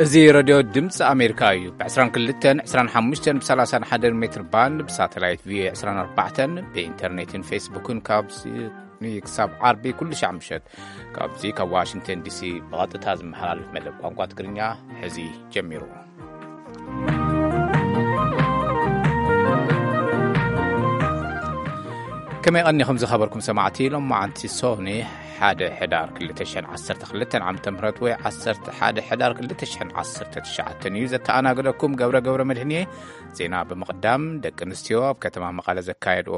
እዚ ሬድዮ ድምፂ ኣሜሪካ እዩ። ብ22፣ 25፣ ብ31 ሜትር ባንድ፣ ብሳተላይት ቪኦኤ 24፣ ብኢንተርኔትን ፌስቡክን ካብ ሰኒ ክሳብ ዓርቢ ኩሉ ሻዕ ምሸት ካብዚ ካብ ዋሽንግተን ዲሲ ብቐጥታ ዝመሓላለፍ መደብ ቋንቋ ትግርኛ ሕዚ ጀሚሩ። ከመይ ቀኒኹም ዝኸበርኩም ሰማዕቲ? ሎማዓንቲ ሶኒ ሓደ ሕዳር ክልተ ሽሕን ዓሰርተ ክልተን ዓመተ ምህረት ወይ ዓሰርተ ሓደ ሕዳር ክልተ ሽሕን ዓሰርተ ትሽዓተን እዩ። ዘተኣናግደኩም ገብረ ገብረ መድህን እየ። ዜና ብምቕዳም፣ ደቂ ኣንስትዮ ኣብ ከተማ መቐለ ዘካየድኦ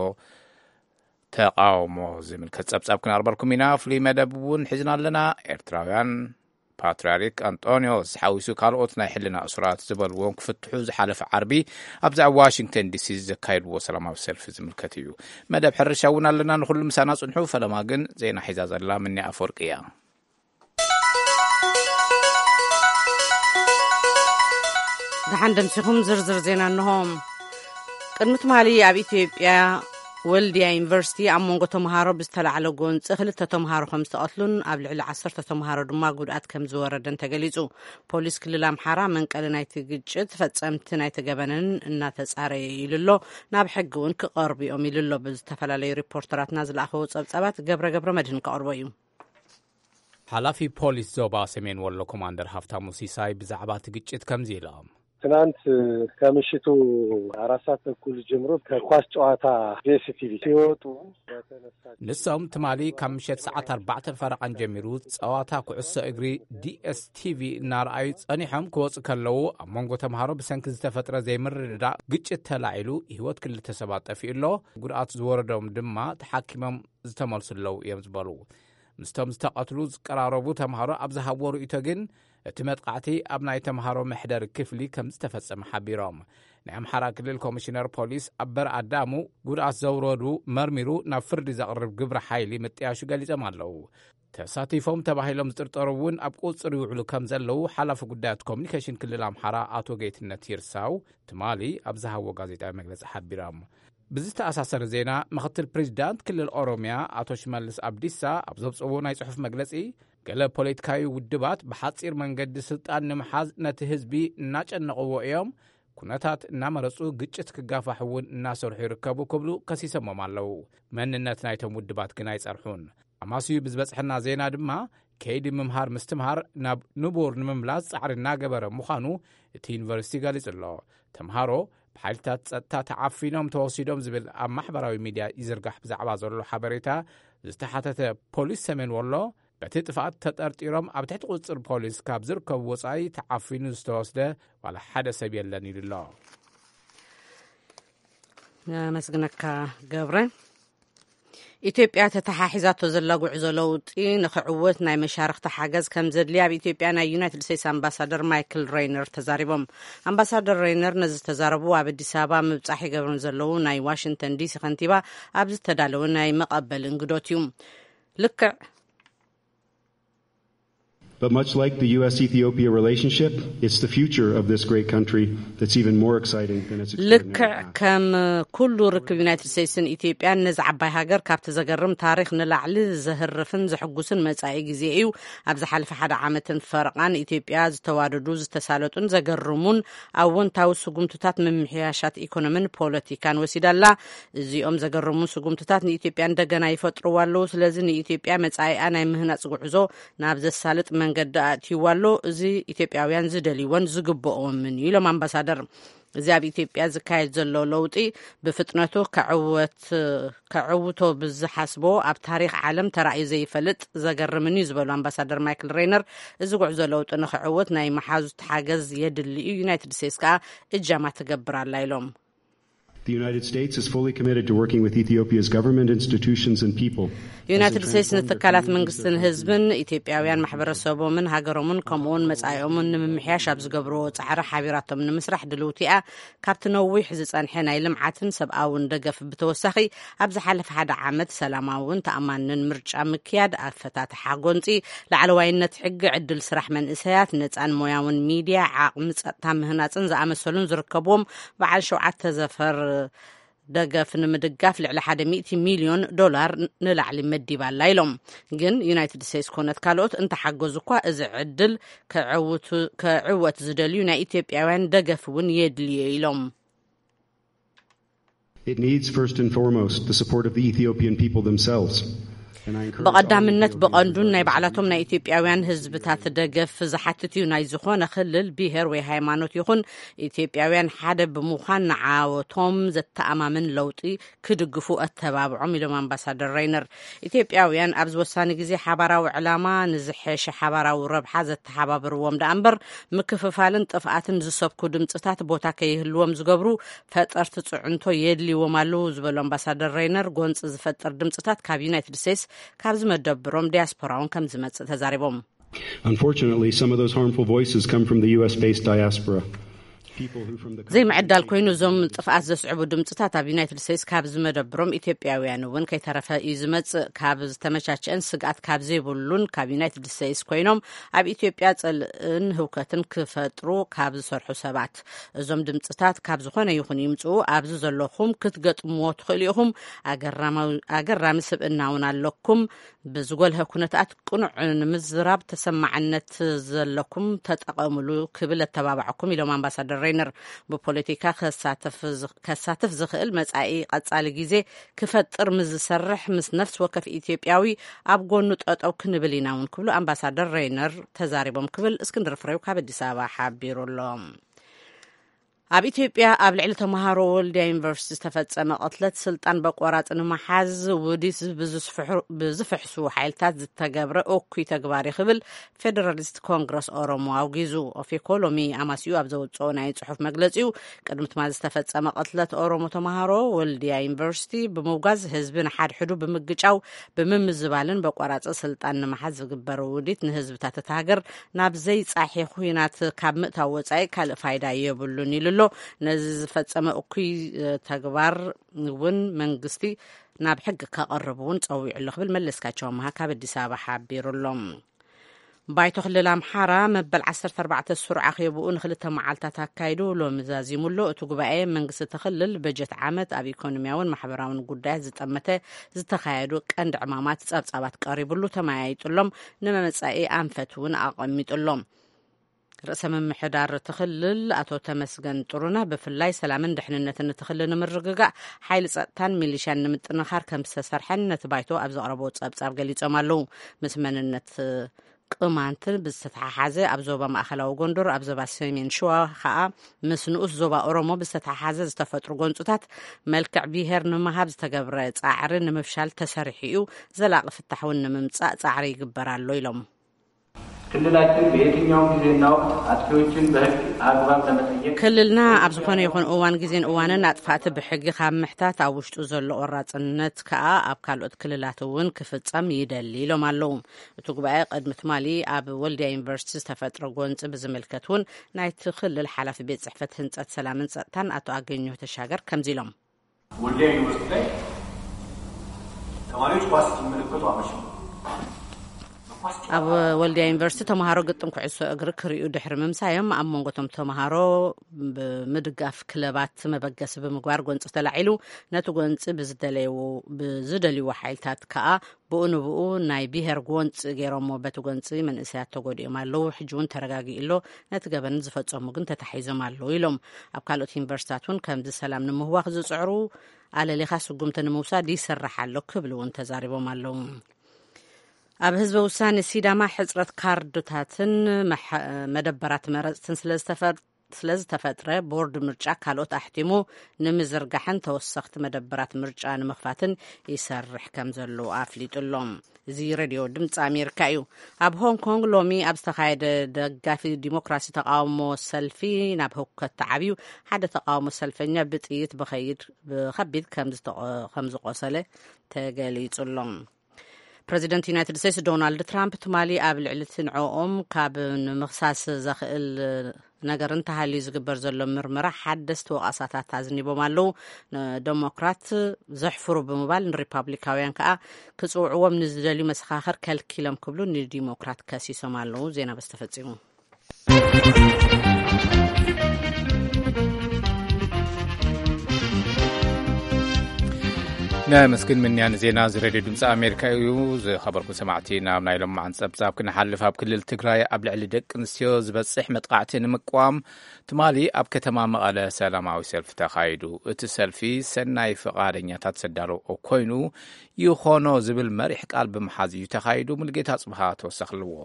ተቃውሞ ዝምልከት ጸብጻብ ክነቕርበልኩም ኢና። ፍሉይ መደብ እውን ሒዝና ኣለና። ኤርትራውያን ፓትርያርክ ኣንጦንዮስ ሓዊሱ ካልኦት ናይ ሕልና እሱራት ዝበልዎም ክፍትሑ ዝሓለፈ ዓርቢ ኣብዚ ኣብ ዋሽንግተን ዲሲ ዘካየድዎ ሰላማዊ ሰልፊ ዝምልከት እዩ። መደብ ሕርሻ እውን ኣለና። ንኹሉ ምሳና ጽንሑ። ፈለማ ግን ዜና ሒዛ ዘላ ምኒ ኣፈወርቂ እያ። ደሓን ደምሲኹም ዝርዝር ዜና እንሆ። ቅድሚ ትማሊ ኣብ ኢትዮጵያ ወልድያ ዩኒቨርሲቲ ኣብ መንጎ ተምሃሮ ብዝተላዕለ ጎንፂ ክልተ ተምሃሮ ከም ዝተቐትሉን ኣብ ልዕሊ ዓሰርተ ተምሃሮ ድማ ጉድኣት ከም ዝወረደን ተገሊፁ። ፖሊስ ክልል ኣምሓራ መንቀሊ ናይቲ ግጭት ፈፀምቲ ናይቲ ገበንን እናተፃረየ ኢሉ ኣሎ። ናብ ሕጊ እውን ክቐርቡ እዮም ኢሉ ኣሎ። ብዝተፈላለዩ ሪፖርተራትና ዝለኣኸዎ ፀብፃባት ገብረ ገብረ መድህን ከቕርቦ እዩ። ሓላፊ ፖሊስ ዞባ ሰሜን ወሎ ኮማንደር ሃፍታሙ ሲሳይ ብዛዕባ እቲ ግጭት ከምዚ ኢሎም። ትናንት ከምሽቱ አራት ሰዓት ተኩል ጀምሮ ከኳስ ጨዋታ ዲኤስቲቪ ሲወጡ በተነሳ ንሶም ትማሊ ካብ ምሸት ሰዓት ኣርባዕተ ፈረቓን ጀሚሩ ጸዋታ ኩዕሶ እግሪ ዲኤስቲቪ እናረኣዩ ጸኒሖም ክወጹ ከለዉ፣ ኣብ መንጎ ተምሃሮ ብሰንኪ ዝተፈጥረ ዘይምርድዳእ ግጭት ተላዒሉ፣ ህይወት ክልተ ሰባት ጠፊኡ ኣሎ። ጉድኣት ዝወረዶም ድማ ተሓኪሞም ዝተመልሱ ኣለዉ እዮም ዝበሉ። ምስቶም ዝተቐትሉ ዝቀራረቡ ተምሃሮ ኣብ ዝሃብዎ ርእይቶ ግን፣ እቲ መጥቃዕቲ ኣብ ናይ ተምሃሮ መሕደሪ ክፍሊ ከም ዝተፈጸመ ሓቢሮም። ናይ ኣምሓራ ክልል ኮሚሽነር ፖሊስ ኣበር ኣዳሙ፣ ጉድኣት ዘውረዱ መርሚሩ ናብ ፍርዲ ዘቕርብ ግብረ ሓይሊ ምጥያሹ ገሊጾም ኣለዉ። ተሳቲፎም ተባሂሎም ዝጥርጠሩ እውን ኣብ ቁጽሪ ይውዕሉ ከም ዘለዉ ሓላፊ ጉዳያት ኮሚኒኬሽን ክልል ኣምሓራ ኣቶ ጌትነት ይርሳው ትማሊ ኣብ ዝሃብዎ ጋዜጣዊ መግለጺ ሓቢሮም። ብዝተኣሳሰረ ዜና፣ ምኽትል ፕሬዚዳንት ክልል ኦሮሚያ ኣቶ ሽመልስ ኣብዲሳ ኣብ ዘውፅእዎ ናይ ጽሑፍ መግለጺ፣ ገለ ፖለቲካዊ ውድባት ብሓጺር መንገዲ ስልጣን ንምሓዝ ነቲ ህዝቢ እናጨነቕዎ እዮም፣ ኩነታት እናመረጹ ግጭት ክጋፋሕ እውን እናሰርሑ ይርከቡ ክብሉ ከሲሰሞም ኣለዉ። መንነት ናይቶም ውድባት ግን ኣይጸርሑን። ኣማስዩ ብዝበጽሐና ዜና ድማ፣ ከይዲ ምምሃር ምስትምሃር ናብ ንቡር ንምምላስ ጻዕሪ እናገበረ ምዃኑ እቲ ዩኒቨርሲቲ ገሊጹ ኣሎ። ተምሃሮ ብሓይልታት ጸጥታ ተዓፊኖም ተወሲዶም ዝብል ኣብ ማሕበራዊ ሚድያ ይዝርጋሕ ብዛዕባ ዘሎ ሓበሬታ ዝተሓተተ ፖሊስ ሰሜን ወሎ፣ በቲ ጥፍኣት ተጠርጢሮም ኣብ ትሕቲ ቁጽጽር ፖሊስ ካብ ዝርከቡ ወጻኢ ተዓፊኑ ዝተወስደ ዋላ ሓደ ሰብ የለን ኢሉ ኣሎ። ኣመስግነካ ገብረ። ኢትዮጵያ ተተሓሒዛቶ ዘላ ጉዕዞ ለውጢ ንኽዕወት ናይ መሻርኽቲ ሓገዝ ከም ዘድልያ ኣብ ኢትዮጵያ ናይ ዩናይትድ ስቴትስ ኣምባሳደር ማይክል ሬይነር ተዛሪቦም። ኣምባሳደር ሬይነር ነዚ ዝተዛረቡ ኣብ ኣዲስ ኣበባ ምብጻሕ ይገብሩ ዘለዉ ናይ ዋሽንግተን ዲሲ ከንቲባ ኣብ ዝተዳለወ ናይ መቐበሊ እንግዶት እዩ። ልክዕ But much like the U S Ethiopia relationship, it's the future of this great country that's even more exciting than its ልክዕ extraordinary past. ከም ኩሉ ርክብ ዩናይትድ ስቴትስን ኢትዮጵያን ነዚ ዓባይ ሃገር ካብቲ ዘገርም ታሪኽ ንላዕሊ ዘህርፍን ዘሕጉስን መጻኢ ግዜ እዩ። ኣብ ዝሓለፈ ሓደ ዓመትን ፈረቓን ኢትዮጵያ ዝተዋደዱ፣ ዝተሳለጡን ዘገርሙን ኣወንታዊ ስጉምትታት ምምሕያሻት ኢኮኖሚን ፖለቲካን ወሲዳ ኣላ። እዚኦም ዘገርሙ ስጉምትታት ንኢትዮጵያ እንደገና ይፈጥርዋ ኣለዉ። ስለዚ ንኢትዮጵያ መጻኢኣ ናይ ምህናጽ ጉዕዞ ናብ ዘሳልጥ መንገዲ ኣእትይዋ ኣሎ። እዚ ኢትዮጵያውያን ዝደልይዎን ዝግብኦምን እዩ ኢሎም ኣምባሳደር። እዚ ኣብ ኢትዮጵያ ዝካየድ ዘሎ ለውጢ ብፍጥነቱ ከዕወት-፣ ከዕውቶ ብዝሓስቦ ኣብ ታሪኽ ዓለም ተራእዩ ዘይፈልጥ ዘገርምን እዩ ዝበሉ ኣምባሳደር ማይክል ሬይነር፣ እዚ ጉዕዞ ለውጢ ንክዕወት ናይ መሓዙት ሓገዝ የድሊ እዩ፣ ዩናይትድ ስቴትስ ከኣ እጃማ ትገብር ኣላ ኢሎም። The United States is fully committed to working with Ethiopia's government, institutions, and people. ዩናይትድ ስቴትስ ንትካላት መንግስትን ህዝብን፣ ኢትዮጵያውያን ማሕበረሰቦምን ሃገሮምን ከምኡውን መጻኢኦምን ንምምሕያሽ ኣብ ዝገብርዎ ጻዕሪ ሓቢራቶም ንምስራሕ ድልውቲ እያ። ካብቲ ነዊሕ ዝጸንሐ ናይ ልምዓትን ሰብኣውን ደገፍ ብተወሳኺ፣ ኣብ ዝሓለፈ ሓደ ዓመት ሰላማውን ተኣማንን ምርጫ ምክያድ፣ ኣፈታትሓ ጎንጺ፣ ላዕለዋይነት ሕጊ፣ ዕድል ስራሕ መንእሰያት፣ ነጻን ሞያውን ሚድያ፣ ዓቕሚ ጸጥታ ምህናጽን ዝኣመሰሉን ዝርከብዎም በዓል ሸውዓተ ዘፈር ደገፍ ንምድጋፍ ልዕሊ ሓደ ሚእቲ ሚልዮን ዶላር ንላዕሊ መዲባ ኣላ ኢሎም። ግን ዩናይትድ ስቴትስ ኮነት ካልኦት እንተሓገዙ እኳ፣ እዚ ዕድል ክዕውቱ-፣ ክዕወት ዝደልዩ ናይ ኢትዮጵያውያን ደገፍ እውን የድልዮ ኢሎም። It needs, first and foremost, the support of the Ethiopian people themselves. And I encourage all ብቐዳምነት Ethiopian ብቐንዱን ናይ regardless of ባዕላቶም ናይ ኢትዮጵያውያን ህዝብታት ደገፍ ዝሓትት እዩ። ናይ ዝኾነ ክልል፣ ብሄር ወይ ሃይማኖት ይኹን፣ ኢትዮጵያውያን ሓደ ብምዃን ንዓወቶም ዘተኣማምን ለውጢ ክድግፉ ኣተባብዖም ኢሎም ኣምባሳደር ሬይነር። ኢትዮጵያውያን ኣብዚ ወሳኒ ግዜ ሓባራዊ ዕላማ ንዝሐሸ ሓባራዊ ረብሓ ዘተሓባብርዎም ደኣ እምበር፣ ምክፍፋልን ጥፍኣትን ዝሰብኩ ድምፅታት ቦታ ከይህልዎም ዝገብሩ ፈጠርቲ ፅዕንቶ የድልይዎም ኣለዉ ዝበሉ ኣምባሳደር ሬይነር፣ ጎንፂ ዝፈጥር ድምፅታት ካብ ዩናይትድ ስቴትስ ካብ ዝመደብሮም ዲያስፖራውን ከም ዝመፅእ ተዛሪቦም። Unfortunately, some of those harmful voices come from the U S based diaspora. People who from the ዘይምዕዳል ኮይኑ፣ እዞም ጥፍኣት ዘስዕቡ ድምፅታት ኣብ ዩናይትድ ስቴትስ ካብ ዝመደብሮም ኢትዮጵያውያን እውን ከይተረፈ እዩ ዝመፅእ። ካብ ዝተመቻቸአን ስግኣት ካብ ዘይብሉን ካብ ዩናይትድ ስቴትስ ኮይኖም ኣብ ኢትዮጵያ ፅልእን ህውከትን ክፈጥሩ ካብ ዝሰርሑ ሰባት። እዞም ድምፅታት ካብ ዝኾነ ይኹን ይምፅኡ፣ ኣብዚ ዘለኹም ክትገጥምዎ ትኽእሉ ኢኹም። ኣገራማዊ-፣ ኣገራሚ ስብእና እውን ኣለኩም። ብዝጎልሀ ኩነታት ቅኑዕ ንምዝራብ ተሰማዕነት ዘለኩም ተጠቐምሉ ክብል ኣተባባዕኩም ኢሎም ኣምባሳደር ሬይነር። ብፖለቲካ ከሳተፍ ዝኽ-፣ ከሳትፍ ዝኽእል መጻኢ ቀጻሊ ግዜ ክፈጥር ምስ ዝሰርሕ ምስ ነፍሲ ወከፍ ኢትዮጵያዊ ኣብ ጎኑ ጠጠው ክንብል ኢና እውን ክብሉ ኣምባሳደር ሬይነር ተዛሪቦም ክብል እስክንድር ፍሬው ካብ ኣዲስ ኣበባ ሓቢሩ ኣሎ። ኣብ ኢትዮጵያ ኣብ ልዕሊ ተምሃሮ ወልድያ ዩኒቨርሲቲ ዝተፈጸመ ቅትለት ስልጣን በቆራጽ ንምሓዝ ውዲት ብዝስፍሑ-፣ ብዝፍሕሱ ሓይልታት ዝተገብረ እኩይ ተግባር እዩ ክብል ፌደራሊስት ኮንግረስ ኦሮሞ ኣውጊዙ። ኦፌኮ ሎሚ ኣማስዩ ኣብ ዘውጽኦ ናይ ጽሑፍ መግለጺኡ፣ ቅድሚ ትማሊ ዝተፈጸመ ቅትለት ኦሮሞ ተምሃሮ ወልድያ ዩኒቨርሲቲ ብምውጋዝ ህዝቢ ንሓድሕዱ ብምግጫው ብምምዝባልን በቆራጽ ስልጣን ንምሓዝ ዝግበር ውዲት ንህዝብታት እታ ሃገር ናብ ዘይጻሒ ኹናት ካብ ምእታው ወጻኢ ካልእ ፋይዳ የብሉን ኢሉ ኣሎ። ነዚ ዝፈጸመ እኩይ፣ እ፣ ተግባር እውን መንግስቲ ናብ ሕጊ ከቐርብ እውን ጸዊዑ ኣሎ ክብል መለስካቸው ኣምሃ ካብ ኣዲስ ኣበባ ሓቢሩ ኣሎ። ባይቶ ክልል ኣምሓራ መበል ዓሰርተ ኣርባዕተ ስሩዕ ኣኼብኡ ንክልተ መዓልታት ኣካይዱ ሎሚ ዛዚሙ ኣሎ። እቲ ጉባኤ መንግስቲ እቲ ክልል በጀት ዓመት ኣብ ኢኮኖሚያውን ማሕበራውን ጉዳያት ዝጠመተ ዝተኻየዱ ቀንዲ ዕማማት ጸብጻባት ቀሪቡሉ ተመያይጡሎም፣ ንመመጻኢ ኣንፈት እውን ኣቐሚጡሎም። ርእሰ ምምሕዳር እቲ ክልል ኣቶ ተመስገን ጥሩነህ ብፍላይ ሰላምን ድሕንነትን እቲ ክልል ንምርግጋእ ሓይሊ ጸጥታን ሚሊሽያን ንምጥንኻር ከም ዝተሰርሐን ነቲ ባይቶ ኣብ ዘቕረቦ ጸብጻብ ገሊጾም ኣለዉ። ምስ መንነት ቅማንትን ብዝተተሓሓዘ ኣብ ዞባ ማእኸላዊ ጎንደር፣ ኣብ ዞባ ሰሜን ሸዋ ኸኣ ምስ ንኡስ ዞባ ኦሮሞ ብዝተተሓሓዘ ዝተፈጥሩ ጎንጽታት መልክዕ ብሄር ንምሃብ ዝተገብረ ጻዕሪ ንምፍሻል ተሰሪሑ እዩ። ዘላቒ ፍታሕ እውን ንምምጻእ ጻዕሪ ይግበር ኣሎ ኢሎም። ክልላችን በየትኛውም ጊዜና ወቅት አጥፊዎችን በሕግ አግባብ ለመጠየቅ ክልልና ኣብ ዝኾነ ይኹን እዋን፣ ግዜን እዋንን ኣጥፋእቲ ብሕጊ ካብ ምሕታት ኣብ ውሽጡ ዘሎ ቆራጽነት ከኣ ኣብ ካልኦት ክልላት እውን ክፍጸም ይደሊ ኢሎም ኣለዉ። እቲ ጉባኤ ቅድሚ ትማሊ ኣብ ወልድያ ዩኒቨርሲቲ ዝተፈጥረ ጎንጺ ብዝምልከት እውን ናይቲ ክልል ሓላፊ ቤት ጽሕፈት ህንጸት ሰላምን ጸጥታን ኣቶ ኣገኘሁ ተሻገር ከምዚ ኢሎም። ወልዲያ ዩኒቨርሲቲ ላይ ተማሪዎች ኳስ ሲመለከቱ አመሸው። ኣብ ወልድያ ዩኒቨርሲቲ ተምሃሮ ግጥም ኩዕሶ እግሪ ክርእዩ ድሕሪ ምምሳዮም፣ ኣብ መንጎ እቶም ተምሃሮ ብምድጋፍ ክለባት መበገሲ ብምግባር ጎንፂ ተላዒሉ። ነቲ ጎንፂ ብዝደለይዎ-፣ ብዝደልይዎ ሓይልታት ከኣ ብኡ ንብኡ ናይ ብሄር ጎንፂ ገይሮሞ። በቲ ጎንፂ መንእሰያት ተጎዲኦም ኣለዉ። ሕጂ እውን ተረጋጊኡ ኣሎ። ነቲ ገበን ዝፈጸሙ ግን ተታሒዞም ኣለዉ ኢሎም። ኣብ ካልኦት ዩኒቨርሲታት እውን ከምዚ ሰላም ንምህዋኽ ዝጽዕሩ ኣለሊኻ ስጉምቲ ንምውሳድ ይስራሕ ኣሎ ክብሉ እውን ተዛሪቦም ኣለዉ። ኣብ ህዝበ ውሳኔ ሲዳማ ሕጽረት ካርድታትን መሐ-፣ መደበራት መረጽትን ስለ ዝተፈ-፣ ስለ ዝተፈጥረ፣ ቦርድ ምርጫ ካልኦት ኣሕቲሙ ንምዝርጋሕን ተወሰኽቲ መደበራት ምርጫ ንምኽፋትን ይሰርሕ ከም ዘሎ ኣፍሊጡ ኣሎ። እዚ ሬድዮ ድምፂ ኣሜሪካ እዩ። ኣብ ሆንግ ኮንግ ሎሚ ኣብ ዝተኻየደ ደጋፊ ዲሞክራሲ ተቃውሞ ሰልፊ ናብ ህውከት ተዓብዩ፣ ሓደ ተቃውሞ ሰልፈኛ ብጥይት ብኸይድ-፣ ብኸቢድ ከም ዝተቆ-፣ ከም ዝቆሰለ ተገሊጹ ኣሎ። ፕረዚደንት ዩናይትድ ስቴትስ ዶናልድ ትራምፕ ትማሊ ኣብ ልዕሊ እቲ ንዕኦም ካብ ንምኽሳስ ዘኽእል ነገር እንተሃልዩ ዝግበር ዘሎ ምርመራ ሓደስቲ ወቐሳታት ኣዝኒቦም ኣለዉ። ንደሞክራት ዘሕፍሩ ብምባል ንሪፓብሊካውያን ከኣ ክጽውዕዎም ንዝደልዩ መሰኻኽር ከልኪሎም ክብሉ ንዲሞክራት ከሲሶም ኣለዉ። ዜና በዚ ተፈጺሙ። ነመስግን ምንያን ዜና እዚ ሬድዮ ድምፂ ኣሜሪካ እዩ። ዝኸበርኩም ሰማዕቲ፣ ናብ ናይ ሎማዓንቲ ጸብጻብ ክንሓልፍ። ኣብ ክልል ትግራይ ኣብ ልዕሊ ደቂ ኣንስትዮ ዝበጽሕ መጥቃዕቲ ንምቅዋም ትማሊ ኣብ ከተማ መቐለ ሰላማዊ ሰልፊ ተኻይዱ። እቲ ሰልፊ ሰናይ ፈቓደኛታት ዘዳለዎ ኮይኑ ይኾኖ ዝብል መሪሕ ቃል ብምሓዝ እዩ ተኻይዱ። ሙልጌታ ጽብሃ ተወሰኽ ኣለዎ።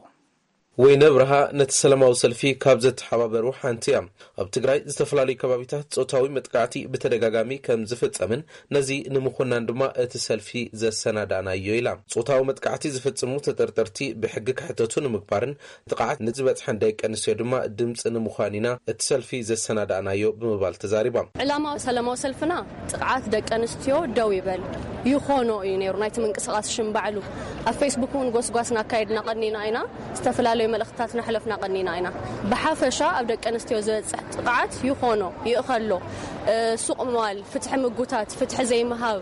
ወይነ ብርሃ ነቲ ሰላማዊ ሰልፊ ካብ ዘተሓባበሩ ሓንቲ እያ። ኣብ ትግራይ ዝተፈላለዩ ከባቢታት ጾታዊ መጥቃዕቲ ብተደጋጋሚ ከም ዝፍጸምን ነዚ ንምኹናን ድማ እቲ ሰልፊ ዘሰናዳእናዮ ኢላ። ጾታዊ መጥቃዕቲ ዝፍጽሙ ተጠርጠርቲ ብሕጊ ክሕተቱ ንምግባርን ጥቕዓት ንዝበጽሐን ደቂ ኣንስትዮ ድማ ድምፂ ንምዃን ኢና እቲ ሰልፊ ዘሰናዳእናዮ ብምባል ተዛሪባ። ዕላማ ሰላማዊ ሰልፍና ጥቕዓት ደቂ ኣንስትዮ ደው ይበል ይኾኖ እዩ ነይሩ ናይቲ ምንቅስቓስ ሽም ባዕሉ። ኣብ ፌስቡክ እውን ጎስጓስ እናካየድና ቀኒና ኢና። ዝተፈላለዩ መልእኽትታት እናሕለፍና ቀኒና ኢና። ብሓፈሻ ኣብ ደቂ ኣንስትዮ ዝበፅሕ ጥቕዓት ይኾኖ ይእኸሎ፣ እ፣ ሱቕ ምባል፣ ፍትሒ ምጉታት፣ ፍትሒ ዘይምሃብ፣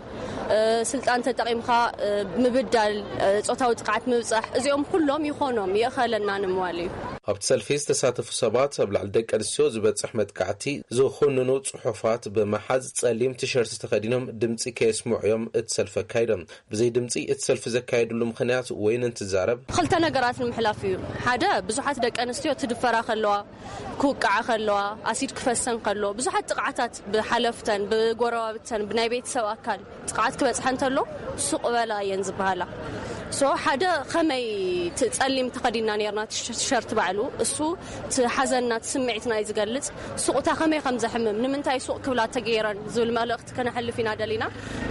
እ፣ ስልጣን ተጠቒምካ፣ እ፣ ምብዳል፣ እ፣ ጾታዊ ጥቕዓት ምብፃሕ፣ እዚኦም ኩሎም ይኾኖም ይእኸለና ንምባል እዩ። ኣብቲ ሰልፊ ዝተሳተፉ ሰባት ኣብ ልዕሊ ደቂ ኣንስትዮ ዝበፅሕ መጥቃዕቲ ዝኹንኑ ጽሑፋት ብምሓዝ ጸሊም ቲሸርት ተኸዲኖም ድምፂ ከየስምዑ እዮም እቲ ሰልፊ ኣካይዶም። ብዘይ ድምፂ እቲ ሰልፊ ዘካየድሉ ምኽንያት ወይን እንትዛረብ፣ ክልተ ነገራት ንምሕላፍ እዩ። ሓደ፣ ብዙሓት ደቂ ኣንስትዮ ትድፈራ ከለዋ፣ ክውቅዓ ከለዋ፣ ኣሲድ ክፈሰን ከሎ፣ ብዙሓት ጥቕዓታት ብሓለፍተን፣ ብጎረባብተን፣ ብናይ ቤተሰብ ኣካል ጥቕዓት ክበፅሐ እንተሎ ሱቕ በላ እየን ዝበሃላ። ሶ ሓደ ከመይ እቲ ጸሊም ተኸዲና ነርና ቲሸርት ባዕሉ እሱ እቲ ሓዘንና እቲ ስምዒትና እዩ ዝገልጽ። ሱቕታ ከመይ ከም ዘሕምም፣ ንምንታይ ሱቕ ክብላ ተገይረን ዝብል መልእኽቲ ከነሕልፍ ኢና ደሊና።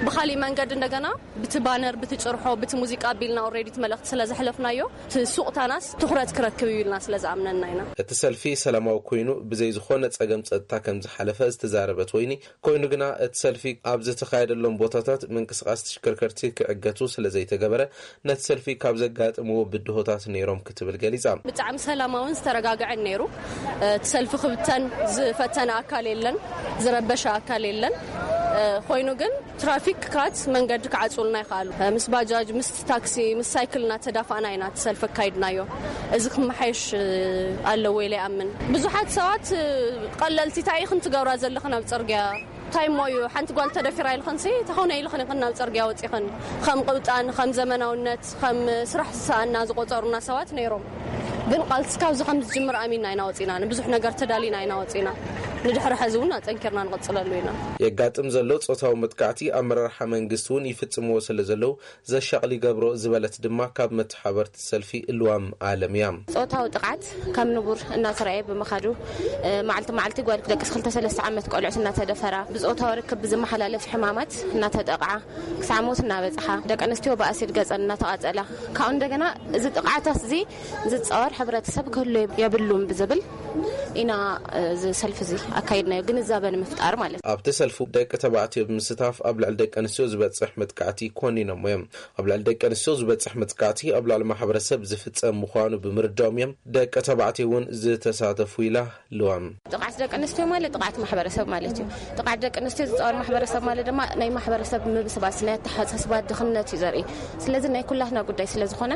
ብኻሊእ መንገዲ እንደገና ብቲ ባነር፣ ብቲ ጭርሖ፣ ብቲ ሙዚቃ ኣቢልና ኦልሬዲ እቲ መልእኽቲ ስለ ዘሕለፍናዮ እቲ ሱቕታናስ ትኹረት ክረክብ እዩ ኢልና ስለ ዝኣምነና ኢና። እቲ ሰልፊ ሰላማዊ ኮይኑ ብዘይ ዝኾነ ጸገም ጸጥታ ከም ዝሓለፈ ዝተዛረበት ወይኒ፣ ኮይኑ ግና እቲ ሰልፊ ኣብ ዝተኻየደሎም ቦታታት ምንቅስቓስ ተሽከርከርቲ ክዕገቱ ስለ ዘይተገበረ ነቲ ሰልፊ ካብ ዘጋጠምዎ ብድሆታት ነይሮም ክትብል ገሊጻ። ብጣዕሚ ሰላማውን ዝተረጋግዐን ነይሩ። እቲ ሰልፊ ክብተን ዝፈተነ ኣካል የለን፣ ዝረበሸ ኣካል የለን። ኮይኑ ግን ትራፊክ ካት መንገዲ ክዓጽውልና ይኽኣሉ። ምስ ባጃጅ፣ ምስ ታክሲ፣ ምስ ሳይክል እናተዳፋእና ኢና እቲ ሰልፊ ኣካይድናዮ። እዚ ክመሓየሽ ኣለዎ ኢለ ይኣምን። ብዙሓት ሰባት ቀለልቲ፣ እንታይ ኢኽን ትገብራ ዘለኽን ኣብ ጽርግያ? እንታይ እሞ እዩ፣ ሓንቲ ጓል ተደፊራ ኢልኽንሲ፣ ተኾነ ኢልኽን ኢኽን ናብ ጽርግያ ወጺኽን። ከም ቅብጣን፣ ከም ዘመናውነት፣ ከም ስራሕ ዝሰኣና ዝቆጸሩና ሰባት ነይሮም። ግን ቃልሲ ካብዚ ከም ዝጅምር ኣሚንና ኢና ወጺና፣ ንብዙሕ ነገር ተዳሊና ኢና ወጺና። ንድሕሪ ሐዚ እውን ኣጠንኪርና ንቕጽለሉ ኢና። የጋጥም ዘሎ ጾታዊ መጥቃዕቲ ኣመራርሓ መንግስቲ እውን ይፍጽምዎ ስለ ዘለዉ ዘሻቕል ይገብሮ ዝበለት ድማ ካብ መተሓበርቲ ሰልፊ እልዋም ኣለም እያ። ጾታዊ ጥቕዓት ከም ንቡር እናተረኣየ ብምኻዱ፣ እ፣ መዓልቲ መዓልቲ ጓል ደቂ ክልተ ሰለስተ ዓመት ቆልዑት እናተደፈራ፣ ብጾታዊ ርክብ ብዝመሓላለፍ ሕማማት እናተጠቕዓ፣ ክሳዕ ሞት እናበጽሓ፣ ደቂ ኣንስትዮ ብኣሲድ ገጸን እናተቓጸላ፣ ካብኡ እንደገና እዚ ጥቕዓታት እዚ ዝጻወር ሕብረተሰብ ክህሉ የብሉን ብዝብል ኢና፣ እ፣ እዚ ሰልፊ እዚ ኣካይድናዮ፣ ግንዛበ ንምፍጣር ማለት እዩ። ኣብቲ ሰልፉ ደቂ ተባዕትዮ ብምስታፍ ኣብ ልዕሊ ደቂ ኣንስትዮ ዝበጽሕ መጥቃዕቲ ኮኒኖሞ እዮም። ኣብ ልዕሊ ደቂ ኣንስትዮ ዝበጽሕ መጥቃዕቲ ኣብ ልዕሊ ማሕበረሰብ ዝፍጸም ምዃኑ ብምርዳኦም እዮም ደቂ ተባዕትዮ እውን ዝተሳተፉ ኢላ ልዋም። ጥቕዓት ደቂ ኣንስትዮ ማለት ጥቕዓት ማሕበረሰብ ማለት እዩ። ጥቕዓት ደቂ ኣንስትዮ ዝጻወር ማሕበረሰብ ማለት ድማ ናይ ማሕበረሰብ ምብስባስ፣ ናይ ኣተሓሳስባ ድኽነት እዩ ዘርኢ። ስለዚ ናይ ኩላትና ጉዳይ ስለ ዝኾነ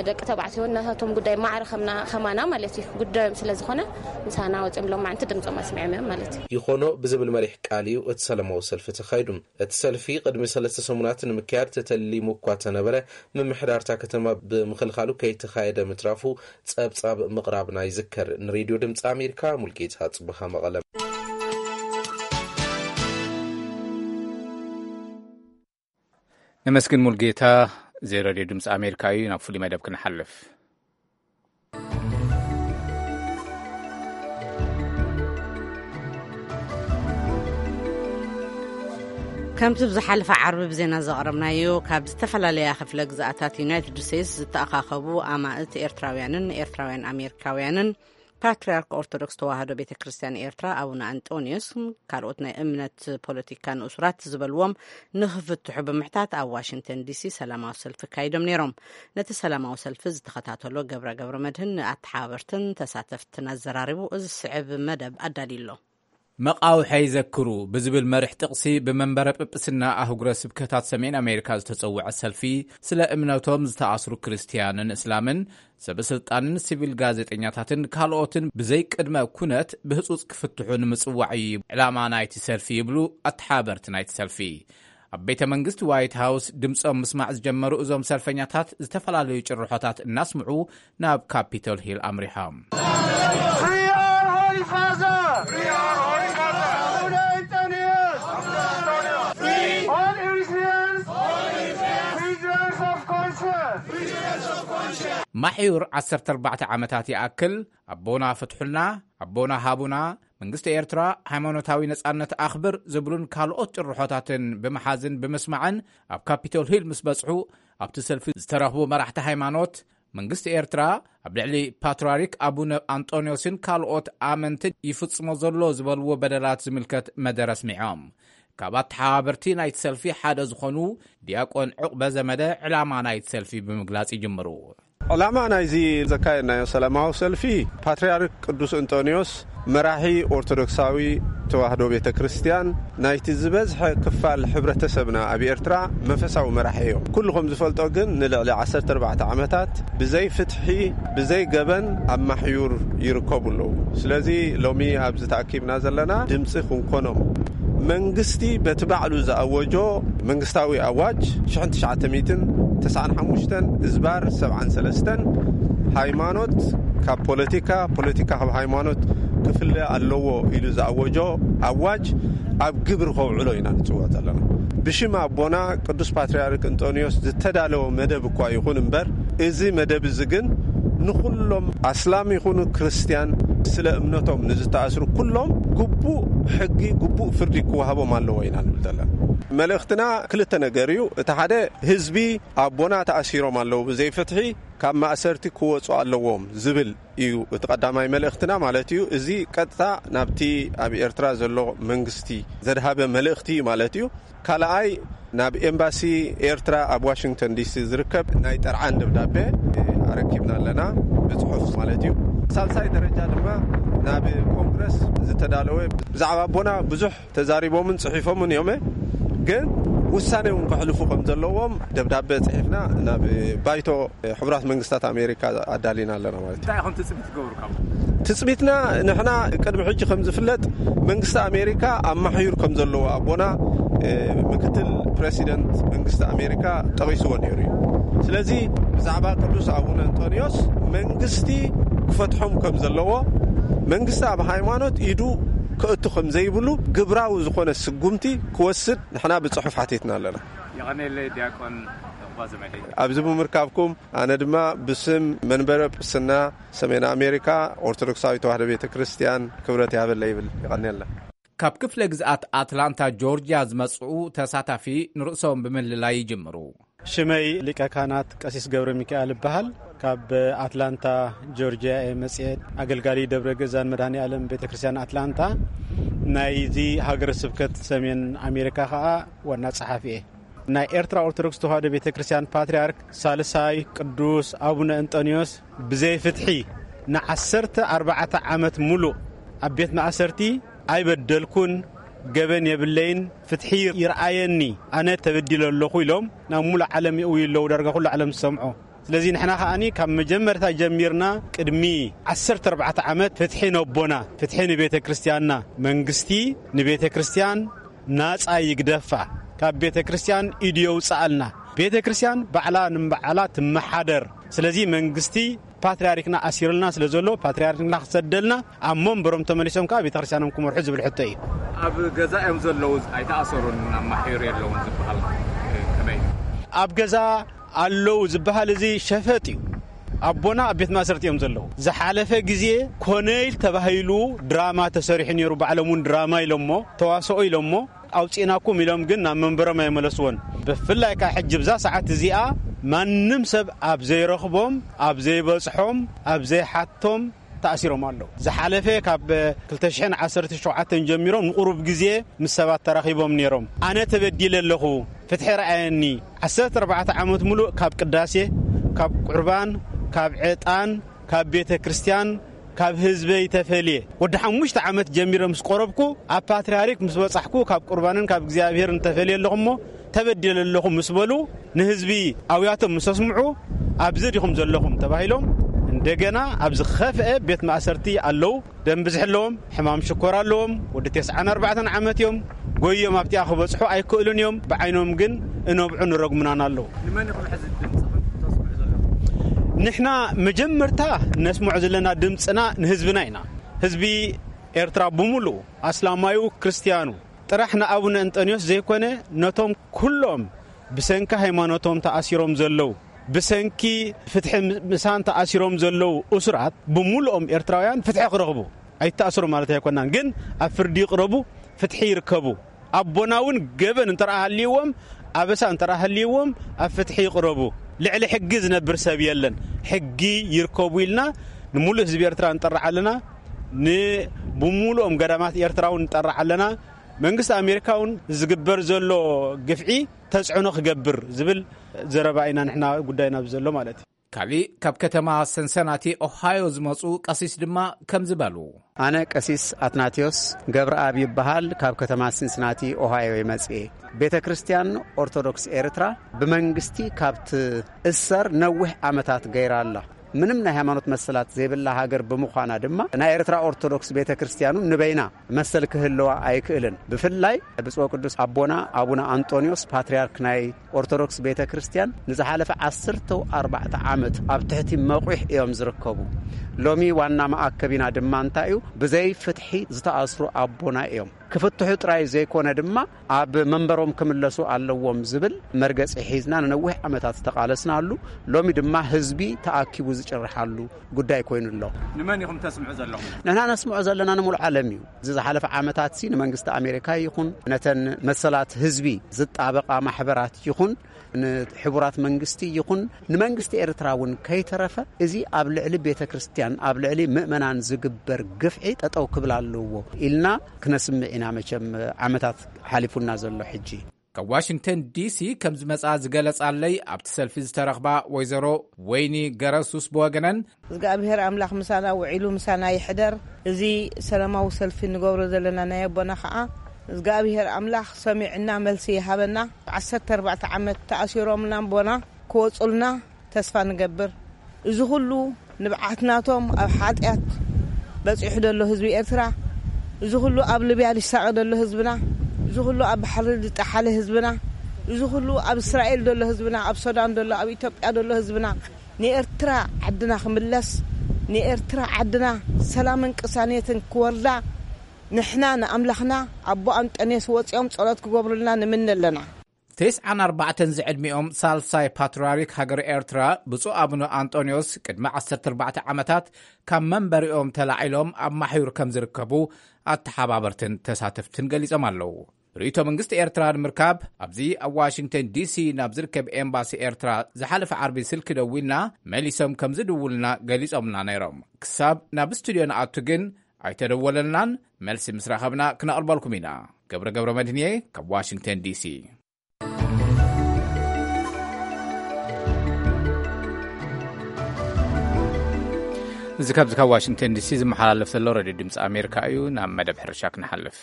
ደቂ ተባዕትዮ ናታቶም ጉዳይ ማዕረ ከምና-፣ ከማና ማለት እዩ ጉዳዮም ስለ ዝኾነ ምሳና ወጺኦም ሎማዕንቲ ድምጾም ኣስሚዖም እዮም ማለት እዩ። ይኾኖ ብዝብል መሪሕ ቃል እዩ እቲ ሰላማዊ ሰልፊ ተኻይዱ። እቲ ሰልፊ ቅድሚ ሰለስተ ሰሙናት ንምክያድ ተተሊሙ እኳ ተነበረ፣ ምምሕዳር እታ ከተማ ብምኽልኻሉ ከይተኻየደ ምትራፉ ጸብጻብ ምቕራብና ይዝከር። ንሬድዮ ድምጺ ኣሜሪካ ሙልጌታ ጽቡሃ መቐለ። ነመስግን ሙልጌታ። እዚ ሬድዮ ድምፂ ኣሜሪካ እዩ። ናብ ፍሉይ መደብ ክንሓልፍ። ከምቲ ብዝሓለፈ ዓርቢ ብዜና ዘቕረብናዮ፣ ካብ ዝተፈላለያ ክፍለ ግዝኣታት ዩናይትድ ስቴትስ ዝተኣኻኸቡ ኣማእት ኤርትራውያንን ኤርትራውያን ኣሜሪካውያንን ፓትርያርክ ኦርቶዶክስ ተዋህዶ ቤተ ክርስቲያን ኤርትራ ኣቡነ ኣንጦንዮስ ካልኦት ናይ እምነት ፖለቲካ ንእሱራት ዝበልዎም ንኽፍትሑ ብምሕታት ኣብ ዋሽንግተን ዲሲ ሰላማዊ ሰልፊ ካይዶም ነይሮም። ነቲ ሰላማዊ ሰልፊ ዝተኸታተሎ ገብረ ገብረ መድህን ንኣተሓባበርትን ተሳተፍትን ኣዘራሪቡ እዚ ስዕብ መደብ ኣዳልዩ ኣሎ። መቓውሐይ ዘክሩ ብዝብል መርሕ ጥቕሲ ብመንበረ ጵጵስና ኣህጉረ ስብከታት ሰሜን ኣሜሪካ ዝተጸውዐ ሰልፊ ስለ እምነቶም ዝተኣስሩ ክርስትያንን እስላምን ሰበ ስልጣንን ሲቪል ጋዜጠኛታትን ካልኦትን ብዘይ ቅድመ ኩነት ብህጹጽ ክፍትሑ ንምጽዋዕ እዩ ዕላማ ናይቲ ሰልፊ ይብሉ ኣተሓባበርቲ ናይቲ ሰልፊ። ኣብ ቤተ መንግስቲ ዋይት ሃውስ ድምፆም ምስማዕ ዝጀመሩ እዞም ሰልፈኛታት ዝተፈላለዩ ጭርሖታት እናስምዑ ናብ ካፒቶል ሂል ኣምሪሖም። Free our Holy Father! Free our Holy Father! All Eritreans! Prisoners of conscience! ማሕዩር ዓሰርተ ኣርባዕተ ዓመታት ይኣክል ኣቦና ፍትሑልና፣ ኣቦና ሃቡና፣ መንግስቲ ኤርትራ ሃይማኖታዊ ነጻነት ኣኽብር ዝብሉን ካልኦት ጭርሖታትን ብምሓዝን ብምስማዕን ኣብ ካፒቶል ሂል ምስ በጽሑ፣ ኣብቲ ሰልፊ ዝተረኽቡ መራሕቲ ሃይማኖት፣ መንግስቲ ኤርትራ ኣብ ልዕሊ ፓትርያርክ ኣቡነ ኣንጦንዮስን ካልኦት ኣመንትን ይፍጽሞ ዘሎ ዝበልዎ በደላት ዝምልከት መደረ ኣስሚዖም። ካብ ኣተሓባበርቲ ናይቲ ሰልፊ ሓደ ዝኾኑ ዲያቆን ዕቑበ ዘመደ ዕላማ ናይቲ ሰልፊ ብምግላጽ ይጅምሩ። ዕላማ ናይዚ ዘካየድናዮ ሰላማዊ ሰልፊ፣ ፓትርያርክ ቅዱስ እንጦንዮስ፣ መራሒ ኦርቶዶክሳዊ ተዋህዶ ቤተ ክርስቲያን፣ ናይቲ ዝበዝሐ ክፋል ሕብረተሰብና ኣብ ኤርትራ መንፈሳዊ መራሒ እዮም። ኩሉ ከም ዝፈልጦ ግን ንልዕሊ ዓሰርተ ኣርባዕተ ዓመታት ብዘይ ፍትሒ፣ ብዘይ ገበን ኣብ ማሕዩር ይርከቡ ኣለዉ። ስለዚ ሎሚ ኣብዚ ተኣኪብና ዘለና ድምፂ ክንኮኖም፣ መንግስቲ በቲ ባዕሉ ዝኣወጆ መንግስታዊ ኣዋጅ ሽሕን ትሽዓተ ሚእትን ተስዓን ሓሙሽተን እዝባር ሰብዓን ሰለስተን፣ ሃይማኖት ካብ ፖለቲካ፣ ፖለቲካ ካብ ሃይማኖት ክፍለ ኣለዎ ኢሉ ዝኣወጆ ኣዋጅ ኣብ ግብሪ ከውዕሎ ኢና ንጽውዕ ዘለና። ብሽም ኣቦና ቅዱስ ፓትርያርክ እንጦንዮስ ዝተዳለወ መደብ እኳ ይኹን እምበር፣ እዚ መደብ እዚ ግን ንኹሎም ኣስላም ይኹኑ ክርስትያን፣ ስለ እምነቶም ንዝተኣስሩ ኩሎም ግቡእ ሕጊ፣ ግቡእ ፍርዲ ክወሃቦም ኣለዎ ኢና ንብል ዘለና። መልእኽትና ክልተ ነገር እዩ። እቲ ሓደ፣ ህዝቢ ኣቦና ተኣሲሮም ኣለዉ ብዘይፍትሒ፣ ካብ ማእሰርቲ ክወጹ ኣለዎም ዝብል እዩ እቲ ቀዳማይ መልእኽትና ማለት እዩ። እዚ ቀጥታ ናብቲ ኣብ ኤርትራ ዘሎ መንግስቲ ዘድሃበ መልእኽቲ እዩ ማለት እዩ። ካልኣይ፣ ናብ ኤምባሲ ኤርትራ ኣብ ዋሽንግተን ዲሲ ዝርከብ ናይ ጠርዓን ደብዳቤ ኣረኪብና ኣለና፣ ብጽሑፍ ማለት እዩ። ሳልሳይ ደረጃ ድማ ናብ ኮንግረስ ዝተዳለወ፣ ብዛዕባ ኣቦና ብዙሕ ተዛሪቦምን ጽሒፎምን እዮም፣ ግን ውሳኔ እውን ከሕልፉ ከም ዘለዎም ደብዳቤ ጽሒፍና ናብ ባይቶ ሕቡራት መንግስታት ኣሜሪካ ኣዳሊና ኣለና ማለት እዩ። እንታይ ኢኹም ትጽቢት ትገብሩ ካብ? ትጽቢትና፣ ንሕና ቅድሚ ሕጂ ከም ዝፍለጥ መንግስቲ ኣሜሪካ ኣማሕዩር ከም ዘለዎ ኣቦና፣ እ፣ ምክትል ፕሬሲደንት መንግስቲ ኣሜሪካ ጠቒስዎ ነይሩ እዩ። ስለዚ ብዛዕባ ቅዱስ ኣቡነ እንጦንዮስ መንግስቲ ክፈትሖም ከም ዘለዎ፣ መንግስቲ ኣብ ሃይማኖት ኢዱ ክእቱ ከም ዘይብሉ ግብራዊ ዝኾነ ስጉምቲ ክወስድ ንሕና ብጽሑፍ ሓቲትና ኣለና። የቐኔለይ ዲያቆን ዕቑባ ዘመደይ። ኣብዚ ብምርካብኩም ኣነ ድማ ብስም መንበረ ጵስና ሰሜን ኣሜሪካ ኦርቶዶክሳዊ ተዋህዶ ቤተ ክርስቲያን ክብረት ይሃበለይ ይብል። ይቐኔልና። ካብ ክፍለ ግዝኣት ኣትላንታ ጆርጅያ ዝመጽኡ ተሳታፊ ንርእሶም ብምልላይ ይጅምሩ። ሽመይ ሊቀ ካህናት ቀሲስ ገብረ ሚካኤል እበሃል። ካብ ኣትላንታ ጆርጅያ እየ መጽኤ። ኣገልጋሊ ደብረ ገዛን መድኃኔ ዓለም ቤተ ክርስቲያን ኣትላንታ፣ ናይዚ ሃገረ ስብከት ሰሜን ኣሜሪካ ኸኣ ዋና ጸሓፊ እየ። ናይ ኤርትራ ኦርቶዶክስ ተዋህዶ ቤተ ክርስቲያን ፓትርያርክ ሳልሳይ ቅዱስ ኣቡነ እንጦንዮስ ብዘይ ፍትሒ ንዓሰርተ ኣርባዕተ ዓመት ሙሉእ ኣብ ቤት ማእሰርቲ ኣይበደልኩን፣ ገበን የብለይን፣ ፍትሒ ይርኣየኒ፣ ኣነ ተበዲለ ኣለኹ ኢሎም ናብ ሙሉእ ዓለም ይእውዩ ኣለዉ፣ ዳርጋ ኩሉ ዓለም ዝሰምዖ። ስለዚ ንሕና ከኣኒ ካብ መጀመርታ ጀሚርና ቅድሚ ዓሰርተ ኣርባዕተ ዓመት ፍትሒ ነቦና፣ ፍትሒ ንቤተ ክርስቲያንና፣ መንግስቲ ንቤተ ክርስቲያን ናጻ ይግደፋ፣ ካብ ቤተ ክርስቲያን ኢዱ የውጽኣልና። ቤተ ክርስቲያን ባዕላ ንባዕላ ትመሓደር። ስለዚ መንግስቲ ፓትርያርክና ኣሲሩልና ስለ ዘሎ ፓትርያርክና ክሰደልና፣ ኣብ መንበሮም ተመሊሶም ከኣ ቤተ ክርስቲያኖም ክመርሑ ዝብል ሕቶ እዩ። ኣብ ገዛ እዮም ዘለዉ፣ ኣይተኣሰሩን፣ ኣብ ማሕዩር የለውን ዝበሃል ከመይ እዩ? ኣብ ገዛ ኣለዉ ዝበሃል እዚ ሸፈጥ እዩ። ኣቦና ኣብ ቤት ማእሰርቲ እዮም ዘለዉ። ዝሓለፈ ግዜ ኮነይል ተባሂሉ ድራማ ተሰሪሑ ነይሩ። ባዕሎም እውን ድራማ ኢሎሞ፣ ተዋስኦ ኢሎሞ፣ ኣውፂእናኩም ኢሎም ግን ናብ መንበሮም ኣይመለስዎን። ብፍላይ ከዓ ሕጂ ብዛ ሰዓት እዚኣ ማንም ሰብ ኣብ ዘይረኽቦም፣ ኣብ ዘይበፅሖም፣ ኣብ ዘይሓቶም ተኣሲሮም ኣለዉ። ዝሓለፈ ካብ ክልተ ሽሕን ዓሰርተ ሸውዓተን ጀሚሮም ንቁሩብ ግዜ ምስ ሰባት ተራኺቦም ነይሮም። ኣነ ተበዲለ ኣለኹ፣ ፍትሒ ረኣየኒ። ዓሰርተ ኣርባዕተ ዓመት ሙሉእ ካብ ቅዳሴ፣ ካብ ቁርባን፣ ካብ ዕጣን፣ ካብ ቤተ ክርስቲያን፣ ካብ ህዝበይ ተፈልየ። ወዲ ሓሙሽተ ዓመት ጀሚረ ምስ ቆረብኩ፣ ኣብ ፓትርያርክ ምስ በጻሕኩ፣ ካብ ቁርባንን ካብ እግዚኣብሔርን ተፈልየ ኣለኹ እሞ፣ ተበዲለ ኣለኹ ምስ በሉ፣ ንህዝቢ ኣውያቶም ምስ ኣስምዑ፣ ኣብዚ ዲኹም ዘለኹም ተባሂሎም፣ እንደገና ኣብ ዝኸፍአ ቤት ማእሰርቲ ኣለዉ። ደም ብዝሒ ኣለዎም፣ ሕማም ሽኮር ኣለዎም፣ ወዲ ተስዓን ኣርባዕተን ዓመት እዮም። ጎዮም ኣብቲኣ ክበጽሑ ኣይክእሉን እዮም። ብዓይኖም ግን እነብዑ ንረግሙናን ኣለዉ። ንመን ኢኹም ሕዚ ድምጽኹም ተስምዑ ዘለኹም? ንሕና መጀመርታ ነስምዖ ዘለና ድምጽና ንህዝብና ኢና። ህዝቢ ኤርትራ ብምሉኡ፣ ኣስላማዩ፣ ክርስትያኑ፣ ጥራሕ ንኣቡነ እንጠንዮስ ዘይኮነ፣ ነቶም ኩሎም ብሰንኪ ሃይማኖቶም ተኣሲሮም ዘለዉ፣ ብሰንኪ ፍትሒ ምሳን ተኣሲሮም ዘለዉ እሱራት ብምሉኦም ኤርትራውያን ፍትሒ ክረኽቡ፣ ኣይተኣስሩ ማለት ኣይኮናን፣ ግን ኣብ ፍርዲ ይቕረቡ፣ ፍትሒ ይርከቡ። ኣቦና እውን ገበን እንተ ደኣ ሃልይዎም፣ ኣበሳ እንተ ደኣ ሃልይዎም፣ ኣብ ፍትሒ ይቕረቡ። ልዕሊ ሕጊ ዝነብር ሰብ የለን። ሕጊ ይርከቡ ኢልና ንምሉእ ህዝቢ ኤርትራ ንጠርዕ ኣለና። ን-፣ ብምሉኦም ገዳማት ኤርትራ እውን ንጠርዕ ኣለና። መንግስቲ ኣሜሪካ እውን ዝግበር ዘሎ ግፍዒ ተጽዕኖ ክገብር ዝብል ዘረባ ኢና ንሕና ጉዳይና ኣብዚ ዘሎ ማለት እዩ። ካሊእ ካብ ከተማ ሰንሰናቲ ኦሃዮ ዝመጹ ቀሲስ ድማ ከምዚ በሉ። ኣነ ቀሲስ ኣትናቴዎስ ገብረኣብ ይበሃል። ካብ ከተማ ሲንስናቲ ኦሃዮ ይመጽእ እየ። ቤተ ክርስቲያን ኦርቶዶክስ ኤርትራ ብመንግስቲ ካብ ትእሰር ነዊሕ ዓመታት ገይራ ኣላ። ምንም ናይ ሃይማኖት መሰላት ዘይብላ ሃገር ብምዃና ድማ፣ ናይ ኤርትራ ኦርቶዶክስ ቤተ ክርስቲያኑ ንበይና መሰል ክህልዋ ኣይክእልን። ብፍላይ ብፁዕ ቅዱስ ኣቦና ኣቡነ ኣንጦንዮስ ፓትርያርክ ናይ ኦርቶዶክስ ቤተ ክርስቲያን ንዝሓለፈ ዓሰርተ ኣርባዕተ ዓመት ኣብ ትሕቲ መቑሕ እዮም ዝርከቡ። ሎሚ ዋና መኣከቢና ድማ እንታይ እዩ? ብዘይ ፍትሒ ዝተኣስሩ ኣቦና እዮም። ክፍትሑ ጥራይ ዘይኮነ ድማ ኣብ መንበሮም ክምለሱ ኣለዎም ዝብል መርገጺ ሒዝና ንነዊሕ ዓመታት ዝተቓለስናሉ፣ ሎሚ ድማ ህዝቢ ተኣኪቡ ዝጭርሓሉ ጉዳይ ኮይኑ ኣሎ። ንመን ኢኹም ተስምዑ ዘለኹም? ንሕና ነስምዖ ዘለና ንሙሉእ ዓለም እዩ። እዚ ዝሓለፈ ዓመታት ሲ ንመንግስቲ ኣሜሪካ ይኹን ነተን መሰላት ህዝቢ ዝጣበቓ ማሕበራት ይኹን ንሕቡራት መንግስቲ ይኹን ንመንግስቲ ኤርትራ እውን ከይተረፈ፣ እዚ ኣብ ልዕሊ ቤተ ክርስቲያን፣ ኣብ ልዕሊ ምእመናን ዝግበር ግፍዒ ጠጠው ክብል ኣለዎ ኢልና ክነስምዕ ኢና። መቸም ዓመታት ሓሊፉና ዘሎ ሕጂ። ካብ ዋሽንግተን ዲሲ ከም ዝመጻ ዝገለጻለይ ኣብቲ ሰልፊ ዝተረኽባ ወይዘሮ ወይኒ ገረሱስ ብወገነን፣ እግዚኣብሔር ኣምላኽ ምሳና ውዒሉ ምሳና ይሕደር። እዚ ሰላማዊ ሰልፊ ንገብሮ ዘለና ናይ ኣቦና ኸዓ እግዚኣብሔር ኣምላኽ ሰሚዕና መልሲ ይሃበና። ዓሰርተ ኣርባዕተ ዓመት ተኣሲሮምና ኣቦና ክወጹልና ተስፋ ንገብር። እዚ ኹሉ ንብዓት ናቶም ኣብ ሓጢኣት በጺሑ ደሎ ህዝቢ ኤርትራ፣ እዚ ኹሉ ኣብ ሊብያ ዝሳቐ ደሎ ህዝብና፣ እዚ ኹሉ ኣብ ባሕሪ ዝጠሓለ ህዝብና፣ እዚ ኹሉ ኣብ እስራኤል ደሎ ህዝብና፣ ኣብ ሱዳን ደሎ፣ ኣብ ኢትዮጵያ ደሎ ህዝብና ንኤርትራ ዓድና ክምለስ፣ ንኤርትራ ዓድና ሰላምን ቅሳኔትን ክወርዳ ንሕና ንኣምላኽና ኣቦ ኣንጠንዮስ ወጺኦም ጸሎት ክገብሩልና ንምነ ኣለና። ተስዓን ኣርባዕተን ዝዕድሚኦም ሳልሳይ ፓትርያርክ ሃገር ኤርትራ ብፁዕ ኣቡነ ኣንጦንዮስ ቅድሚ ዓሰርተ ኣርባዕተ ዓመታት ካብ መንበሪኦም ተላዒሎም ኣብ ማሕዩር ከም ዝርከቡ ኣተሓባበርትን ተሳተፍትን ገሊጾም ኣለዉ። ርእይቶ መንግስቲ ኤርትራ ንምርካብ ኣብዚ ኣብ ዋሽንግተን ዲሲ ናብ ዝርከብ ኤምባሲ ኤርትራ ዝሓለፈ ዓርቢ ስልኪ ደዊልና መሊሶም ከም ዝድውሉና ገሊጾምና ነይሮም። ክሳብ ናብ ስቱድዮ ንኣቱ ግን ኣይተደወለልናን። መልሲ ምስ ረኸብና ክነቕርበልኩም ኢና። ገብረ ገብረ መድህንየ ካብ ዋሽንግተን ዲሲ። እዚ ካብዚ ካብ ዋሽንግተን ዲሲ ዝመሓላለፍ ዘሎ ሬድዮ ድምፂ ኣሜሪካ እዩ። ናብ መደብ ሕርሻ ክንሓልፍ።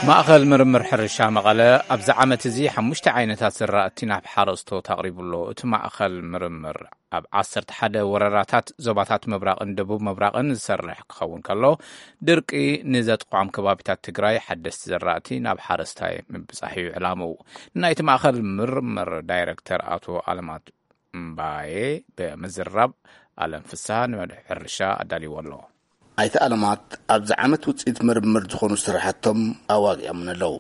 ማእኸል ምርምር ሕርሻ መቐለ ኣብዚ ዓመት እዚ ሓሙሽተ ዓይነታት ዝራእቲ ናብ ሓረስቶት ኣቕሪቡ ኣሎ። እቲ ማእኸል ምርምር ኣብ ዓሰርተ ሓደ ወረዳታት ዞባታት ምብራቕን ደቡብ ምብራቕን ዝሰርሕ ክኸውን ከሎ፣ ድርቂ ንዘጥቕዖም ከባቢታት ትግራይ ሓደስቲ ዘራእቲ ናብ ሓረስታይ ምብጻሕ እዩ ዕላምኡ። ናይቲ ማእኸል ምርምር ዳይረክተር ኣቶ ኣለማት እምባዬ ብምዝራብ፣ ኣለም ፍስሃ ንመድብ ሕርሻ ኣዳልይዎ ኣሎ። ኣይተ ኣለማት ኣብዚ ዓመት ውፅኢት ምርምር ዝኾኑ ስራሕቶም ኣዋጊዖምን ኣለዉ።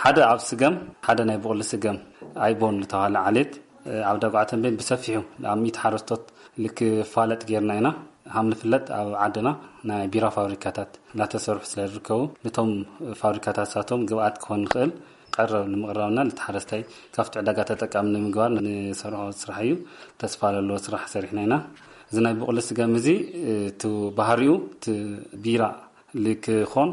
ሓደ ኣብ ስገም፣ ሓደ ናይ ብቑሊ ስገም ኣይቦን ዝተባህለ ዓሌት፣ ኣብ ዳጉዓ ተንቤን ብሰፊሑ ኣብ ሚእቲ ሓረስቶት ልክፋለጥ ጌርና ኢና። ሃም ንፍለጥ ኣብ ዓድና ናይ ቢራ ፋብሪካታት እናተሰርሑ ስለ ዝርከቡ፣ ነቶም ፋብሪካታት ሳቶም ግብኣት ክኾን ንኽእል ቀረብ ንምቕራብና፣ ነቲ ሓረስታይ ካብቲ ዕዳጋ ተጠቃሚ ንምግባር ንሰርሖ ስራሕ እዩ። ተስፋ ዘለዎ ስራሕ ሰሪሕና ኢና። እዚ ናይ ብቑሊ ስገም እዚ፣ እቲ ባህሪኡ፣ እቲ ቢራ ልክኾን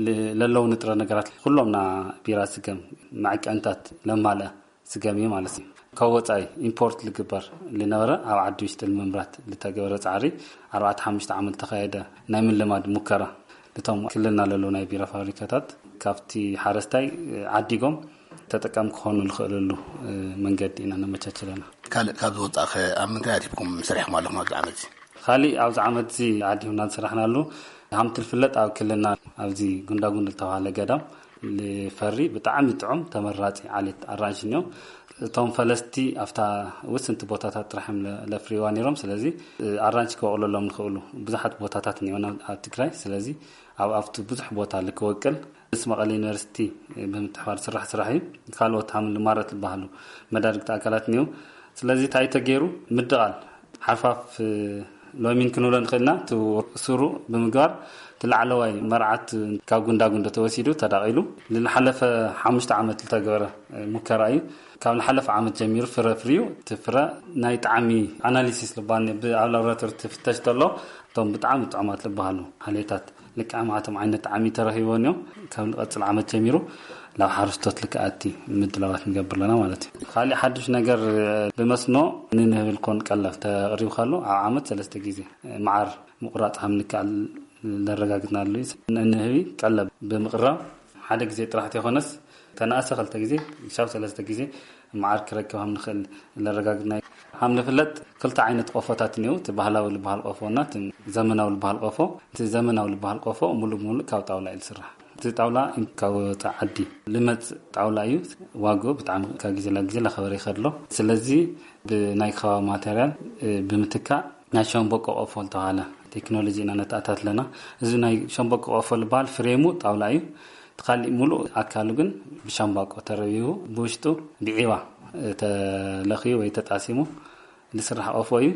ል-፣ ለለዉ ንጥረ ነገራት፣ ኩሎም ና ቢራ ስገም መዐቀንታት ለማልአ ስገም እዩ ማለት እዩ። ካብ ወጻኢ ኢምፖርት ልግበር ልነበረ ኣብ ዓዲ ውሽጢ ንምምራት ልተገበረ ጻዕሪ ኣርባዕተ ሓሙሽተ ዓመት ተኻየደ ናይ ምልማድ ሙከራ። ልቶም ክልልና ለለዉ ናይ ቢራ ፋብሪካታት ካብቲ ሓረስታይ ዓዲጎም ተጠቃሚ ክኾኑ ልኽእልሉ መንገዲ ኢና ነመቻችለና። ካልእ ካብ ዝወጻእኸ ኣብ ምንታይ ኣቲብኩም ሰሪሕኩም ኣለኹም ኣብዚ ዓመት እዚ? ካሊእ ኣብዚ ዓመት እዚ ኣዲሁና ዝሰራሕናሉ፣ ሃምቲ ዝፍለጥ ኣብ ክልልና ኣብዚ ጉንዳጉንድ ዝተባሃለ ገዳም ልፈሪ ብጣዕሚ ጥዑም ተመራጺ ዓሌት ኣራንሽ እኒኦ። እቶም ፈለስቲ ኣብታ ውስንቲ ቦታታት ጥራሕ እዮም ለ-፣ ለፍርይዋ ነይሮም። ስለዚ ኣራንሽ ክበቕለሎም ዝኽእሉ ብዙሓት ቦታታት እኒኦና ኣብ ትግራይ። ስለዚ ኣብ፣ ኣብቲ ብዙሕ ቦታ ልክወቅል ምስ መቐለ ዩኒቨርሲቲ ብምትሕባር ዝስራሕ ስራሕ እዩ። ካልኦት ሃምሊ ማረት ዝበሃሉ መዳርግቲ ኣካላት እኒኦ። ስለዚ እንታይ ተገይሩ? ምድቓል ሓርፋፍ ሎሚን ክንብሎ ንኽእልና፣ እቲ ስሩ ብምግባር እቲ ላዕለዋይ መርዓት ካብ ጉንዳጉንዶ ተወሲዱ ተዳቒሉ። ንዝሓለፈ ሓሙሽተ ዓመት ዝተገበረ ሙከራ እዩ። ካብ ዝሓለፈ ዓመት ጀሚሩ ፍረ ፍርዩ፣ እቲ ፍረ ናይ ጣዕሚ ኣናሊሲስ ልባል ኣብ ላቦራቶሪ ትፍተሽ ተሎ፣ እቶም ብጣዕሚ ጥዑማት ዝበሃሉ ዓሌታት ልክዕ ማዕቶም ዓይነት ጣዕሚ ተረኺቦ እዮም። ካብ ንቐጽል ዓመት ጀሚሩ ናብ ሓረስቶት ልክኣቲ ምድላዋት ንገብር ኣለና ማለት እዩ። ካሊእ ሓዱሽ ነገር ብመስኖ ንንህቢ ልኮን ቀለብ ተቕሪብካሉ ኣብ ዓመት ሰለስተ ግዜ መዓር ምቑራጽ ከም ንከኣል ዘረጋግጽናሉ እዩ። ንንህቢ ቀለብ ብምቕራብ ሓደ ግዜ ጥራሕ ተይኮነስ ተነኣሰ ክልተ ግዜ ክሻብ ሰለስተ ግዜ መዓር ክረክብ ከም ንኽእል ዘረጋግጽና እዩ። ከም ዝፍለጥ ክልተ ዓይነት ቆፎታት እኒው፣ እቲ ባህላዊ ዝበሃል ቆፎ እና እቲ ዘመናዊ ዝበሃል ቆፎ። እቲ ዘመናዊ ዝበሃል ቆፎ ሙሉእ ሙሉእ ካብ ጣውላ እዩ ዝስራሕ። እቲ ጣውላ ካብ ወፃኢ ዓዲ ልመጽእ ጣውላ እዩ። ዋግኡ ብጣዕሚ ካብ ግዜ ናብ ግዜ እናኸበረ ይኸድሎ። ስለዚ ብናይ ከባቢ ማቴሪያል ብምትካእ ናይ ሸምበቆ ቆፎ ዝተባሃለ ቴክኖሎጂ ኢና ነተኣታትለና። እዚ ናይ ሸምበቆ ቆፎ ዝበሃል ፍሬሙ ጣውላ እዩ። እቲ ካሊእ ሙሉእ ኣካሉ ግን ብሻምባቆ ተረቢቡ ብውሽጡ ብዒባ ተለኽዩ ወይ ተጣሲሙ ዝስራሕ ቆፎ እዩ።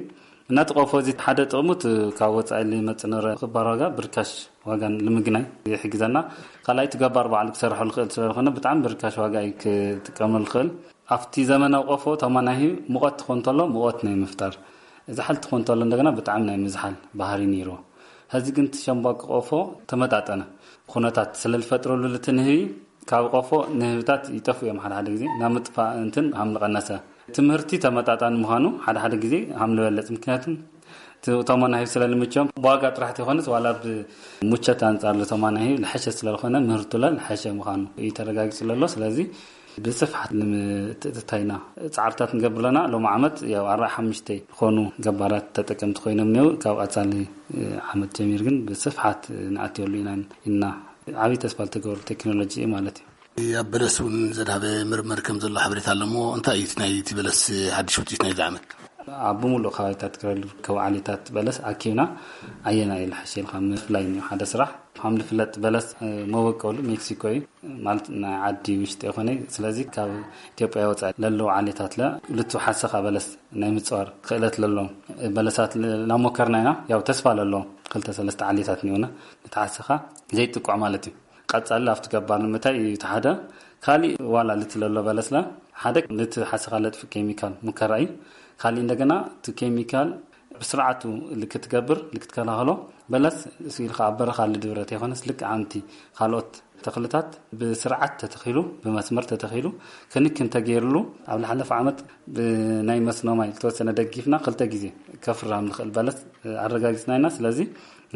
እናቲ ቆፎ እዚ ሓደ ጥቕሙ እቲ ካብ ወፃኢ ልመፅእ ንረ ክባር ዋጋ ብርካሽ ዋጋ ንምግናይ ይሕግዘና። ካልኣይ እቲ ገባር ባዕሉ ክሰርሖ ልኽእል ስለዝኾነ ብጣዕሚ ብርካሽ ዋጋ እዩ ክጥቀመሉ ልኽእል። ኣብቲ ዘመናዊ ቆፎ ተማናሂ ሙቐት ትኾን ተሎ ሙቐት ናይ ምፍጣር፣ ዝሓል ትኾን ተሎ እንደገና ብጣዕሚ ናይ ምዝሓል ባህሪ ነይርዎ። ሕዚ ግን እቲ ሸምባቆ ቆፎ ተመጣጠነ ኩነታት ስለዝፈጥረሉ ልቲ ንህቢ ካብ ቆፎ ንህብታት ይጠፍኡ እዮም። ሓደ ሓደ ግዜ ናብ ምጥፋእ እንትን ሃም ልቐነሰ ትምህርቲ ተመጣጣኒ ምዃኑ ሓደ ሓደ ግዜ ሃም ልበለጽ። ምክንያቱም እቲ ተማናሂብ ስለ ልምቸዮም ብዋጋ ጥራሕ ተይኮነስ ዋላ ብሙቸት ኣንጻር ተማናሂብ ልሐሸ ስለ ዝኾነ ምህርቱ ለ ልሐሸ ምዃኑ እዩ ተረጋጊጹ ለሎ። ስለዚ ብስፍሓት ንምትእትታይና ጻዕርታት ንገብር ኣለና። ሎም ዓመት ያው ኣርባዓ ሓሙሽተ ዝኾኑ ገባራት ተጠቀምቲ ኮይኖም እኒው። ካብ ቀጻሊ ዓመት ጀሚር ግን ብስፍሓት ንኣትየሉ ኢና ኢልና ዓብዪ ተስፋ ልተገብሩ ቴክኖሎጂ እዩ ማለት እዩ። ኣብ በለስ እውን ዘድሃበ ምርምር ከም ዘሎ ሓበሬታ ኣሎ እሞ እንታይ እዩ እቲ ናይ እቲ በለስ ሓድሽ ውፅኢት ናይዚ ዓመት? ኣብ ብምሉእ ከባቢታት ትግራይ ዝርከቡ ዓሌታት በለስ ኣኪብና ኣየናይ እዩ ልሓሸ ኢልካ ምፍላይ እዩ ሓደ ስራሕ። ከም ዝፍለጥ በለስ መበቀሉ ሜክሲኮ እዩ፣ ማለት ናይ ዓዲ ውሽጢ ይኾነ። ስለዚ ካብ ኢትዮጵያ ወፃኢ ለለዉ ዓሌታት ለ ልቱ ሓሰኻ በለስ ናይ ምፅዋር ክእለት ለሎም በለሳት ላሞከርና ኢና። ያው ተስፋ ለለዎም ክልተ ሰለስተ ዓሌታት እኒኦና ንተሓሰኻ ዘይጥቋዕ ማለት እዩ። ቀጻሊ ኣብቲ ገባር ንምታይ እዩ እቲ ሓደ። ካሊእ ዋላ ልቲ ለሎ በለስላ ሓደ ልቲ ሓሰኻ ለጥፊ ኬሚካል ሙከራ እዩ። ካሊእ እንደገና እቲ ኬሚካል ብስርዓቱ ልክትገብር ልክትከላኸሎ በለስ እሱ ኢልካ ኣብ በረኻ ልድብረት የኾነስ ልክ ኣንቲ ካልኦት ተኽልታት ብስርዓት ተተኺሉ ብመስመር ተተኺሉ ክንክን ተገይርሉ ኣብ ዝሓለፈ ዓመት ብናይ መስኖ ማይ ዝተወሰነ ደጊፍና ክልተ ግዜ ከፍራም ንኽእል በለስ ኣረጋጊጽና ኢና። ስለዚ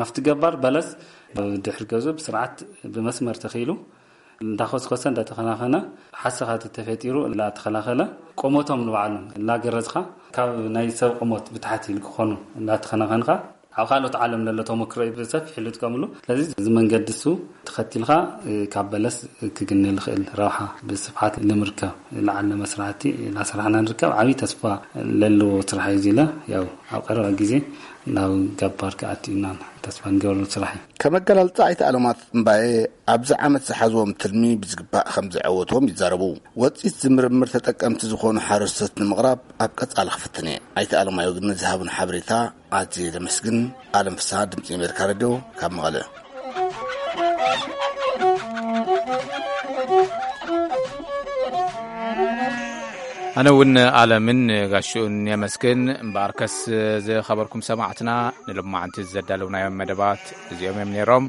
ኣብቲ ገባር በለስ ድሕሪ ገዙ ብስርዓት ብመስመር ተኺሉ እንዳኾስኮሰ እንዳተኸናኸነ ሓሰኻ ተፈጢሩ እንዳተኸላኸለ ቆሞቶም ንባዕሉ እንዳገረዝኻ ካብ ናይ ሰብ ቆሞት ብታሕቲ ክኾኑ እንዳተኸናኸንካ ኣብ ካልኦት ዓለም ለሎ ተሞክሮ እዩ ብሰፊሕ ልጥቀምሉ። ስለዚ እዚ መንገዲ እሱ ተኸቲልካ ካብ በለስ ክግነ ልኽእል ረብሓ ብስፍሓት ንምርከብ ለዓለ መስራሕቲ እናሰራሕና ንርከብ። ዓብዪ ተስፋ ለለዎ ስራሕ እዩ። ዚለ ያው ኣብ ቀረባ ግዜ ናብ ገባር ክኣቲ ኢና ተስፋ ንገብረሉ ስራሕ እዩ። ከመገላልጻ ኣይተ ኣለማት እምባየ ኣብዚ ዓመት ዝሓዝዎም ትልሚ ብዝግባእ ከም ዘዐወትዎም ይዛረቡ። ወጺት ዝምርምር ተጠቀምቲ ዝኾኑ ሓረስቶት ንምቕራብ ኣብ ቀጻሊ ክፍትን እየ። ኣይተ ኣለማዮ ግን ንዝሃቡን ሓበሬታ ኣዝየ ዘመስግን። ኣለም ፍስሃ ድምጺ ኣሜሪካ ሬድዮ ካብ መቐለ። ኣነ እውን ኣለምን ጋሽኡን የመስግን። እምበኣርከስ ዝኸበርኩም ሰማዕትና ንሎማዓንቲ ዘዳለውናዮም መደባት እዚኦም እዮም ነይሮም።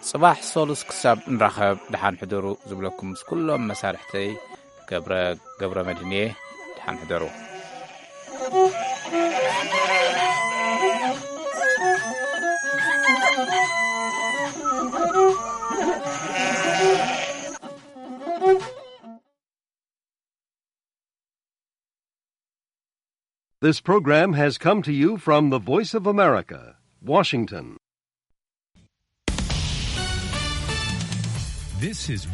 ጽባሕ ሰሉስ ክሳብ ንራኸብ ደሓን ሕደሩ ዝብለኩም ምስ ኩሎም መሳርሕተይ ገብረ ገብረ መድህን እየ። ደሓን ሕደሩ። This program has come to you from the Voice of America, Washington. This is